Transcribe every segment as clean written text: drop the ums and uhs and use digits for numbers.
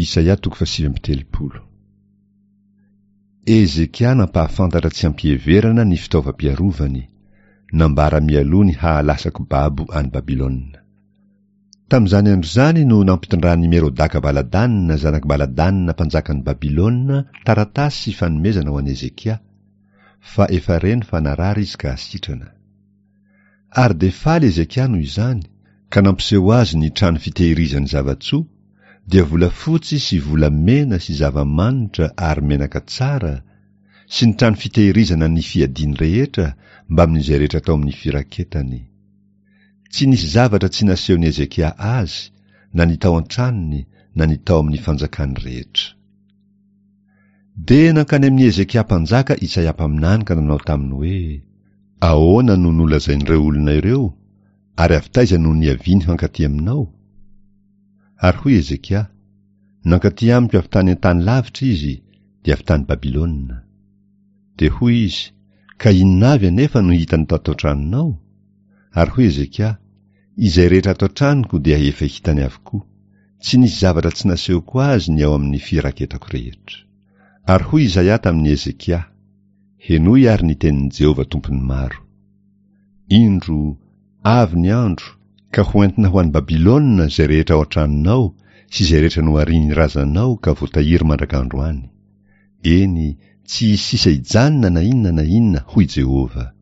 Isaia toko fahasivy amby telopolo. Hezekia nampahafantatra tsy am-piheverana ny fitaovam-piarovany, nambara mialoha ny hahalasako babo any Babylona. Tamin'izany andro izany no nampitondran'i Merodaka Baladana zanak'i Baladana mpanjakan'i Babylona taratasy sy fanomezana ho an'i Hezekia, fa efa reny fa narary izy ka sitrana. Ary dia faly Hezekia noho izany, ka nampiseho azy ny trano fitehirizany zava-tsoa, dia volafotsy sy volamena sy zava-manitra ary menaka tsara, sy ny trano fitehirizana ny fiadiany rehetra mbamin'izay rehetra tao amin'ny firaketany. Tsy nisy zavatra tsy nasehon'i Hezekia azy, na ny tao an-tranony na ny tao amin'ny fanjakany rehetra. Dia nankany amin'i Hezekia mpanjaka Isaia mpaminany ka nanao taminy hoe, Ahoana no nolazain'ireo olona ireo, ary avy taiza no niaviany hankaty aminao? Ary hoy Hezekia, Nankaty amiko avy tany an-tany lavitra izy, dia avy tany Babylona. Dia hoy izy, Ka inona avy anefa no hitany tato an-tranonao? Ary hoy Hezekia, Izay rehetra ato an-tranoko dia efa hitany avokoa. Tsy nisy zavatra tsy nasehoko azy ny ao amin'ny firaketako rehetra. Ary hoy Izaia tamin'i Hezekia, Henoy àry ny tenin'i Jehovah Tompon'ny maro. Indro, avy ny andro, ka hoentina ho any Babylona izay rehetra ao an-tranonao sy izay rehetra noharian'ny razanao ka voatahiry mandrak'androany. Eny, tsy hisy sisa hijanona na inona na inona, hoy Jehovah.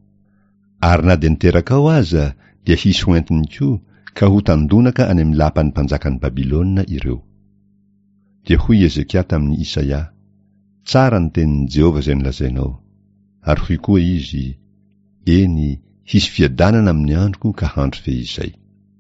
Ary na dia ny terakao aza dia hisy ho entiny koa ka ho tandonaka any amin'ny lapan'ny mpanjakan'i Babylona ireo. Dia hoy i Hezekia tamin'i Isaia, Tsara ny tenin'i Jehovah izay nolazainao. Ary hoy koa izy, Eny, hisy fiadanana amin'ny androko ka handry feizay.